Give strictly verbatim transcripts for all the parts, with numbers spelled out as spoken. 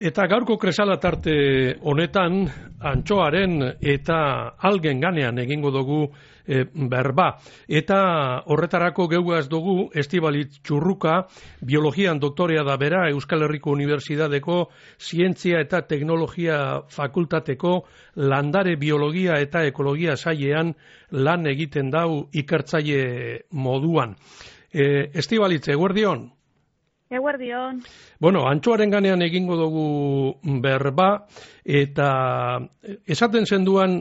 Eta gaurko kresala tarte honetan, antxoaren eta algen ganean egingo dugu e, berba. Eta horretarako geuaz dugu Estibalit Txurruka, biologian doktorea da bera, Euskal Herriko Unibertsitateko Zientzia eta Teknologia Fakultateko landare biologia eta ekologia sailean lan egiten dau ikertzaile moduan. E, Estibalit, eguerdion? Eguerdion. Bueno, antxoaren ganean egingo dugu berba, eta esaten zenduan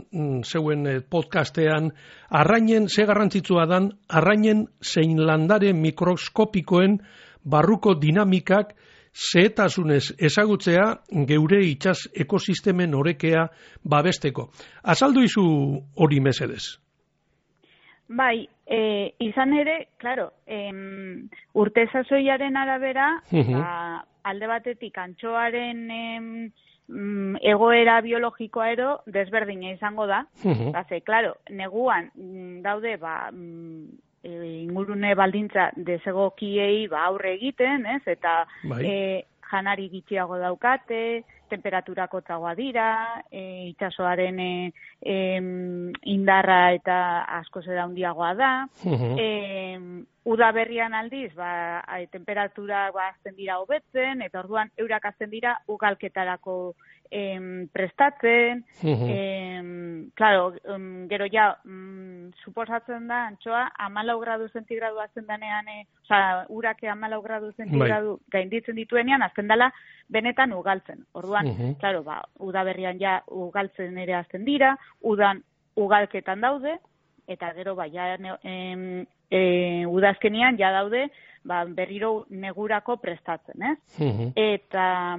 zeuen podcastean, arrainen, ze garrantzitsua dan, arrainen zein landare mikroskopikoen barruko dinamikak zehetasunez ezagutzea geure itsas ekosistemen orekea babesteko. Azaldu izu hori mesedez. Bai, e, izan ere, claro, em, urte sasoiaren arabera, uh-huh. ba, alde batetik antxoaren em, egoera biologikoa ero desberdina izango da. Uh-huh. Baze, claro, neguan daude ba, e, ingurune baldintza desegokiei ba, aurre egiten, ez? Eta bai. e, janari gitxiago daukate, temperaturak hotzagoa dira, e, itsasoaren e, e, indarra eta askoz ere handiagoa da. Uh-huh. e, udaberrian aldiz, ba, a, temperatura ba, azten dira hobetzen, eta orduan eurak azten dira ugalketarako em, prestatzen. Uh-huh. em, claro, em, gero ja, em, suposatzen da, antxoa, hamalau gradu zentigradu azten danean, e, oza, urake hamalau gradu zentigradu bai. Gainditzen dituenean, azten dela benetan ugaltzen. Orduan, uh-huh. claro, ba, udaberrian ja ugaltzen ere azten dira, udan ugalketan daude, eta gero ba, ja, em, e, udazkenian ja daude, ba, berriro negurako prestatzen, ez? Uh-huh. Eta,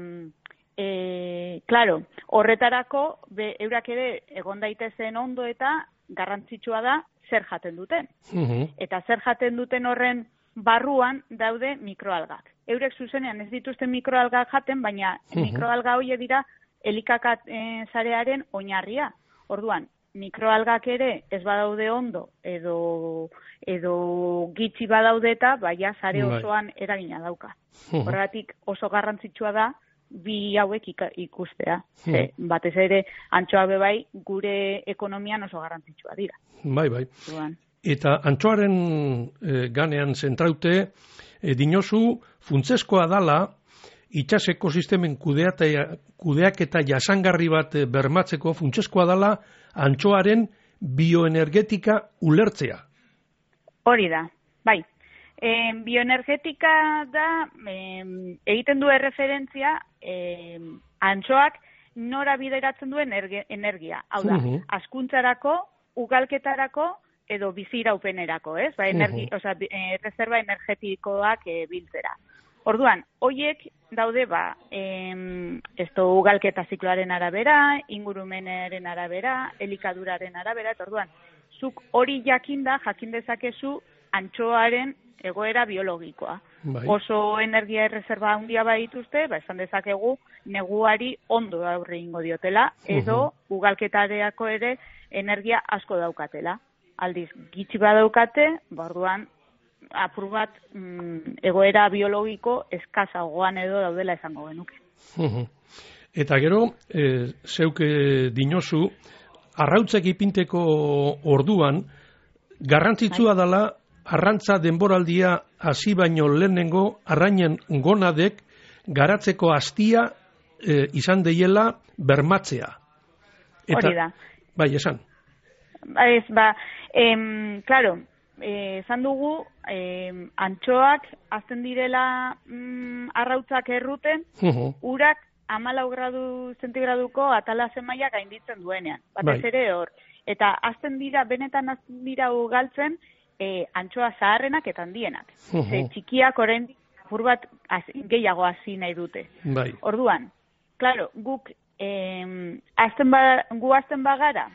e, claro, horretarako, be, eurak ere egon daitezen ondo eta garrantzitsua da zer jaten duten. Uh-huh. Eta zer jaten duten horren barruan daude mikroalgak. Eurek zuzenean ez dituzten mikroalgak jaten, baina uh-huh. mikroalga horiek dira elikakat e, zarearen oinarria. Orduan, mikroalgak ere ez badaude ondo edo edo gitxi badaude eta baina zare osoan eragina dauka. Uh-huh. Horregatik oso garrantzitsua da bi hauek ikustea. Uh-huh. Ze, batez ere antxoa bebai gure ekonomian oso garrantzitsua dira. Bai, bai. Duan. Eta antxoaren e, ganean zentraute, e, dinozu funtzeskoa dala itsas ekosistemen kudeaketa jasangarri bat bermatzeko funtzeskoa dala antxoaren bioenergetika ulertzea. Hori da, bai. E, bioenergetika da, e, egiten du erreferentzia, e, antxoak nora bideratzen duen energia. Hau da, uh-huh. askuntzarako, ugalketarako, edo biziraupenerako, ez? Ba, energi, uh-huh. oza, e, reserva energetikoak e, biltzera. Orduan, hoiek daude, ba, em, esto ugalketa zikloaren arabera, ingurumenaren arabera, elikaduraren arabera, eta orduan, zuk hori jakinda, jakin dezakezu antxoaren egoera biologikoa. Bai. Oso energia erreserba handia badituzte, ba, esan dezakegu, neguari ondo aurre ingo diotela, edo uh-huh. ugalketareako ere energia asko daukatela. Aldiz, gitxi badaukate, ba, orduan, apur bat mm, egoera biologiko eskazagoan edo daudela esango genuke. Uh-huh. Eta gero, e, zeuke dinozu, arrautzek ipinteko orduan, garrantzitsua dela arrantza denboraldia hasi baino lehenengo arrainen gonadek garatzeko hastia e, izan deiela bermatzea. Eta, hori da. Bai, esan. Ez, ba, em, claro, esan dugu, eh, antxoak azten direla mm, arrautzak erruten, uh-huh. urak hamalau gradu zentigraduko atala zemaia gainditzen duenean. Batez ere hor. Eta azten dira, benetan azten dira ugaltzen, eh, antxoa zaharrenak eta handienak. Uh-huh. Ze txikiak orain apur bat az, gehiago hasi nahi dute. Bai. Orduan, claro, guk eh, azten ba, gu azten bagara,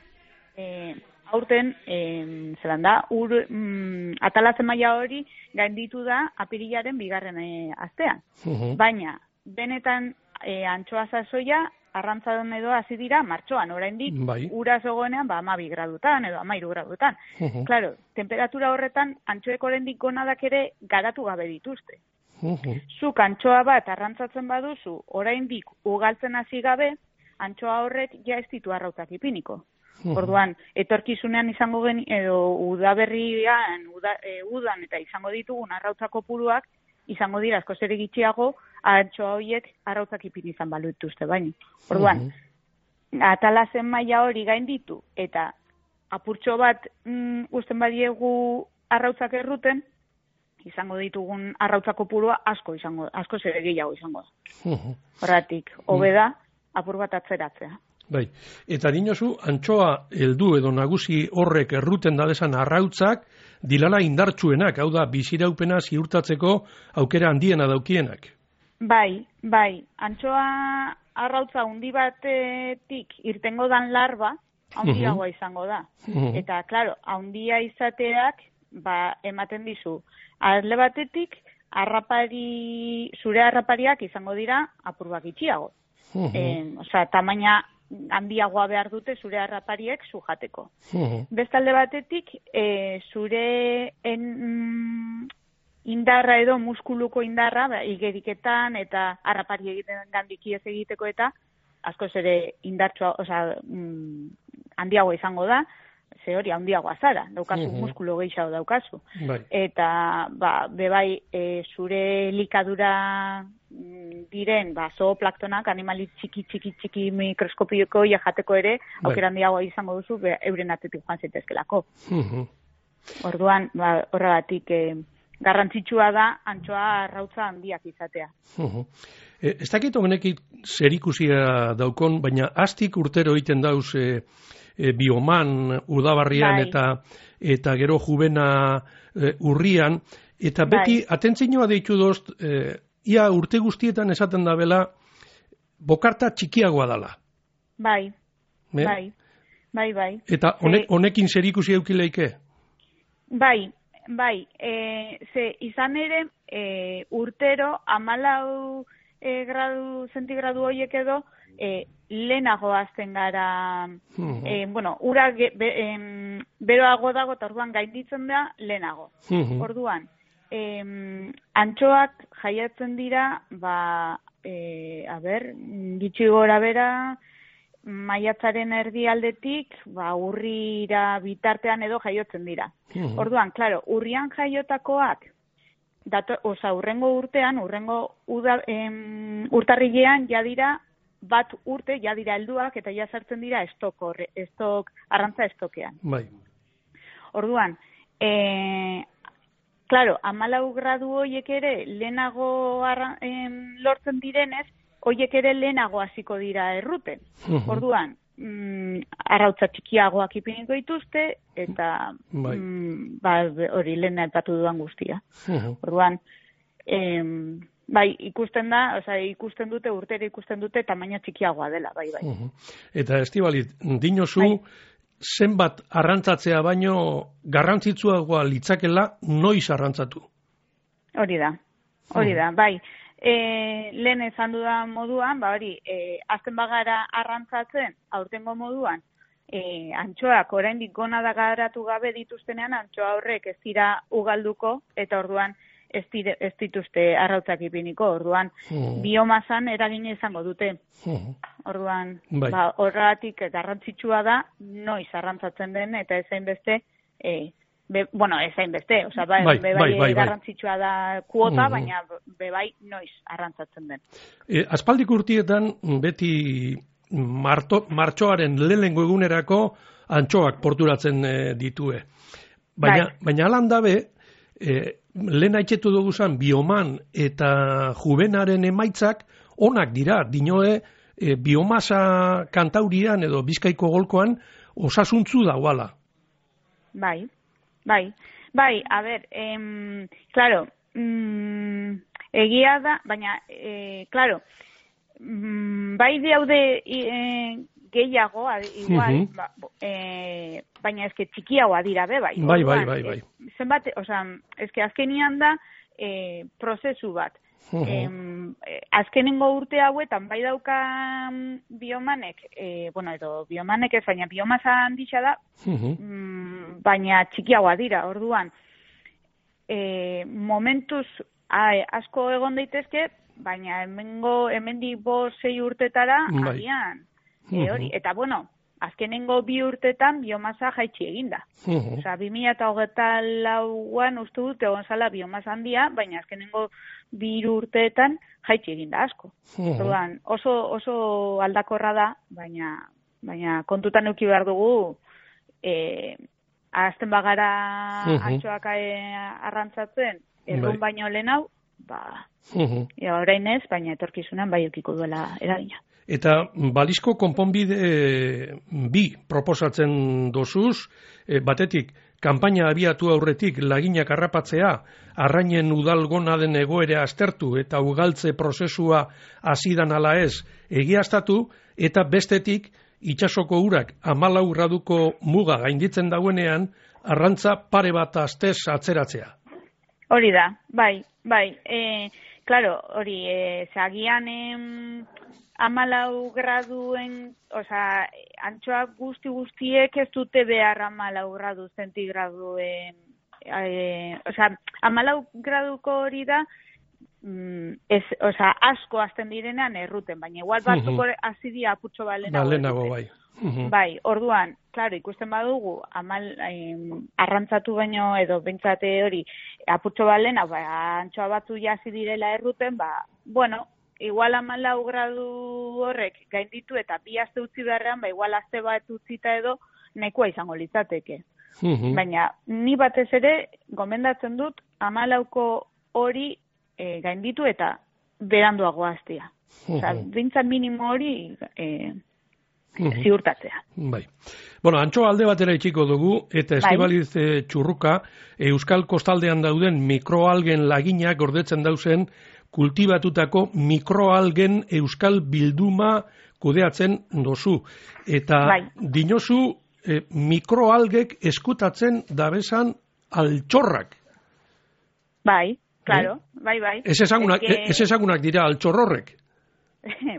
eh, aurten, eh, zelan da, ur, mm, atalazen maila hori gainditu da apirilaren bigarren eh, astean. Uh-huh. Baina, benetan eh, antxoa sasoia arrantzadon edo hasi dira martxoan, oraindik bai. Ura zegoenean ba hamabi gradutan edo hamairu gradutan. Uh-huh. Claro, temperatura horretan antxoek oraindik gonadak ere garatu gabe dituzte. Uh-huh. Zuk antxoa bat arrantzatzen baduzu, oraindik ugaltzen hasi gabe, antxoa horrek ja ez ditu arrautzak ipiniko. Uh-huh. Orduan, etorkizunean izango gen, edo udaberrian, uda, e, udan eta izango ditugun arrautza kopuruak, izango dira askoz ere gitxiago, antxoa horiek arrautzak ipini izan balu dituzte baino. Orduan, uh-huh. atalazen maila hori gainditu, eta apurtxo bat mm, usten badiegu arrautzak erruten, izango ditugun arrautza kopurua asko izango, asko ere gehiago izango da. Uh-huh. Horratik, hobe da, apur bat atzeratzea. Bai, eta dinozu, antxoa heldu edo nagusi horrek erruten dabezan arrautzak, dilala indartsuenak, hau da, biziraupena ziurtatzeko aukera handiena daukienak. Bai, bai, antxoa arrautza hundi batetik irtengo dan larba, handiagoa uh-huh. izango da. Uh-huh. Eta, klaro, handia izateak, ba, ematen dizu, alde batetik, arrapari, zure arrapariak izango dira apur bat itxiago. Uh-huh. E, Osa, tamaina handiagoa behar dute zure harrapariek sujateko. Uh-huh. Bestalde batetik, e, zure en, mm, indarra edo muskuluko indarra, ba, igeriketan eta harrapari egiten gandikiez egiteko eta askoz ere indartsua, osea, mm, handiagoa izango da, ze hori handiagoa zara, daukazu, uh-huh. muskulu gehiago daukazu. Bai. Eta, ba, bebai, e, zure likadura diren, ba, zooplantonak, animali txiki, txiki, txiki mikroskopioko jateko ere, aukera handiagoa izango duzu, be, euren atetik joan zitezkelako. Uh-huh. Orduan, ba, horregatik, e, garrantzitsua da, antxoa arrautza handiak izatea. Uh-huh. E, ez dakit honekin zerikusia daukon, baina astik urtero egiten dauz e, e, bioman udabarrian bai. eta eta gero jubena e, urrian, eta beti bai. Atentzioa deitu dozt, e, ia urte guztietan esaten da bela, bokarta txikiagoa dala. Bai, Me? bai, bai, bai. Eta honek, honekin zerikusi eukileike? Bai, bai, e, ze izan ere e, urtero amalau e, gradu, zentigradu horiek edo e, lehenago azten gara, uh-huh. e, bueno, ura ge, be, em, beroago dago eta orduan gainditzen da lehenago. Uh-huh. Orduan, e, antxoak jaiatzen dira, ba, e, a ber, gitxi gora bera, maiatzaren erdialdetik, ba, urrira bitartean edo jaiotzen dira. Uh-huh. Orduan, claro, urrian jaiotakoak, dato, oza, urrengo urtean, urrengo uda, em, urtarrilean ja dira, bat urte ja dira helduak eta ja sartzen dira estok, horre, estok, arrantza estokean. Bai. Orduan, e, claro, amalau gradu hoiek ere lehenago arra, em, lortzen direnez, hoiek ere lehenago hasiko dira erruten. Uh-huh. Orduan, mm, arrautza txikiagoak ipiniko dituzte, eta bai. mm, ba, hori lehen aipatu dudan guztia. Uh-huh. Orduan, em, bai, ikusten da, osea, ikusten dute, urtera ikusten dute, tamaina txikiagoa dela, bai, bai. Uh-huh. Eta Estibalit, dinozu, bai. Zenbat arrantzatzea baino garrantzitsuagoa litzakela noiz arrantzatu? Hori da, hori da, bai. E, lehen esan dudan moduan, ba hori, e, azten bagara arrantzatzen, aurtengo moduan, e, antxoak oraindik gona da garatu gabe dituztenean, antxoa horrek ez dira ugalduko, eta orduan ez, dire, ez dituzte arrautzak ipiniko, orduan uh-huh. biomazan eragin izango dute. Uh-huh. Orduan, bai. ba, horregatik garrantzitsua da, noiz arrantzatzen den, eta ezain beste, e, Be, bueno, ez hain beste, o sea, bai, bai, be, bai, bai, garrantzitsua da kuota, uh-huh. baina bebai noiz arrantzatzen den. E, aspaldik urtietan beti marto, martxoaren lehenengo egunerako antxoak porturatzen e, ditue. Baina, bai. baina alan dabe, e, lehen haitxetu dugu zan, bioman eta jubenaren emaitzak onak dira, dinoe e, biomasa kantaurian edo Bizkaiko golkoan osasuntzu dauala. Bai. Bai, bai, a ber, em, claro, mm, egia da, baina, e, claro, mm, bai daude e, gehiago, igual, uh-huh. ba, e, baina eske txikiagoa dira be, bai. Bai, bai, bai, bai. E, zenbat, osea, eske azkenian da e, prozesu bat. Uh-huh. Em, azkenengo urte hauetan bai dauka biomanek, e, bueno, edo biomanek ez, baina biomasa handitza da, uh-huh. mm, baina txikiagoa dira, orduan, e, momentuz ai, asko egon daitezke, baina hemengo, hemendik bost sei urtetara, bai. agian, e, hori, eta bueno, azkenengo bi urtetan biomasa jaitsi eginda. Uh-huh. Osa, bi mila hogeita lauan uste dut egon zala biomasa handia, baina azkenengo bi urteetan jaitsi eginda asko. Uh-huh. Orduan, oso, oso aldakorra da, baina, baina kontutan eduki behar dugu, e, azten bagara uh-huh. antxoak arrantzatzen, errun bai. baino lehen hau, ba, uh-huh. ja, orain ez, baina etorkizunan bai eukiko duela eragina. Eta balizko konponbide bi proposatzen dozuz, e, batetik, kanpaina abiatu aurretik laginak harrapatzea, arrainen udalgona den egoera aztertu eta ugaltze prozesua hasidan ala ez egiaztatu, eta bestetik, itsasoko urak hamalau graduko muga gainditzen dauenean, arrantza pare bat astez atzeratzea. Hori da, bai, bai. E, claro, hori, e, zagian em, amalau graduen, oza, antxoak guzti guztiek ez dute behar amalau gradu zentigraduen, e, oza, amalau graduko hori da, mm, ez, oza, asko azten direnean erruten, baina igual batzuk uh-huh. azidia aputxo balenago. Balenago, bai. Uh-huh. Bai, orduan, claro, ikusten badugu, amal, eh, arrantzatu baino edo bentsate hori apurtxo balena, ba, antxoa batzu jasi direla erruten, ba, bueno, igual amalau gradu horrek gainditu eta bi aste utzi beharrean, ba, igual aste bat utzita edo nahikoa izango litzateke. Uh-huh. Baina, ni batez ere, gomendatzen dut, amalauko hori eh, gainditu eta beranduago hastea. Uh-huh. Osa, bintzat minimo hori... Eh, ziurtatzea. Bai. Bueno, antxoa alde batera itxiko dugu, eta Estibaliz bai. Txurruka, Euskal Kostaldean dauden mikroalgen laginak gordetzen dauzen kultibatutako mikroalgen Euskal Bilduma kudeatzen dozu. Eta bai. dinozu eh, mikroalgek eskutatzen dabesan altxorrak. Bai, claro, eh? bai, bai. Ez ezagunak, que... ez ezagunak dira altxorrorrek.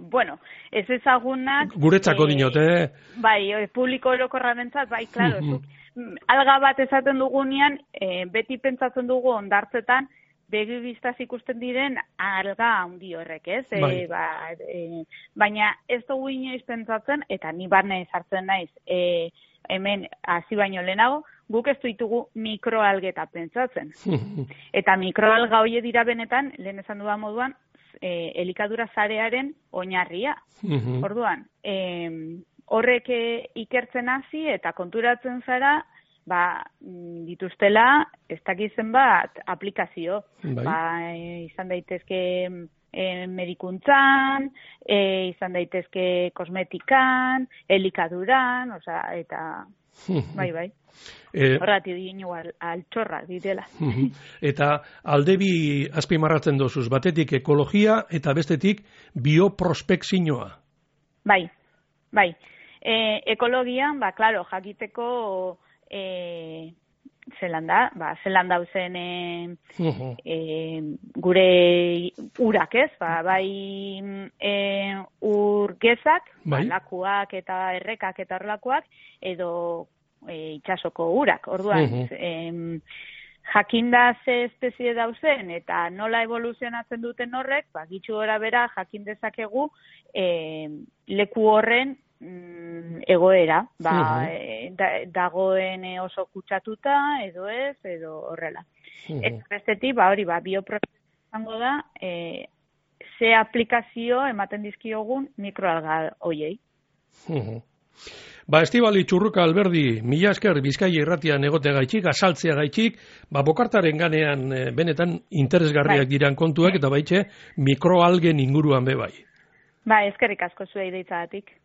Bueno, ez ezagunak... Guretzako eh, dinot, eh? Bai, publiko orokorra bentzat, bai, klaro. Mm-hmm. Alga bat esaten dugunean, eh, beti pentsatzen dugu ondartzetan, begi biztaz ikusten diren alga handi horrek, ez? Bai. E, ba, e, baina ez dugu inoiz pentsatzen, eta ni barne sartzen naiz, e, hemen hasi baino lehenago, guk ez ditugu mikroalgeta pentsatzen. Eta mikroalga hoie dira benetan, lehen esan dudan moduan, E, elikadura zarearen oinarria. Uh-huh. Orduan, e, horrek ikertzen hasi eta konturatzen zara, ba, dituztela, ez dakizen bat, aplikazio. Bai. Ba, e, izan daitezke e, medikuntzan, e, izan daitezke kosmetikan, elikaduran, oza, eta... Bai, bai. Eh, Horrati dinu altxorra direla. Uh-huh. Eta aldebi azpimarratzen dozuz, batetik ekologia eta bestetik bioprospekzioa. Bai, bai. E, ekologian, ba, klaro, jakiteko e, zelan da, ba, zelan dauzen e, uh-huh. e, gure urak ez, ba, bai e, urgezak, bai. Ba, lakuak eta errekak eta horlakoak, edo e, itxasoko urak. Orduan, uh-huh. em, jakinda ze espezie dauzen eta nola evoluzionatzen duten horrek, ba, gitxu gora bera jakin dezakegu e, leku horren mm, egoera, ba, uh-huh. e, da, dagoen oso kutsatuta, edo ez, edo horrela. Uh-huh. Eta bestetik, ba, hori, ba, bioprozesu izango da, e, ze aplikazio ematen dizkiogun mikroalga hoiei. Uh-huh. Ba, Estibali Txurruka Alberdi, mila esker Bizkaia irratian egote gaitxik, asaltzea gaitxik, ba, bokartaren ganean e, benetan interesgarriak bai. Diran kontuak, eta baitxe mikroalgen inguruan be bai. Ba, eskerrik asko zuei deitzagatik.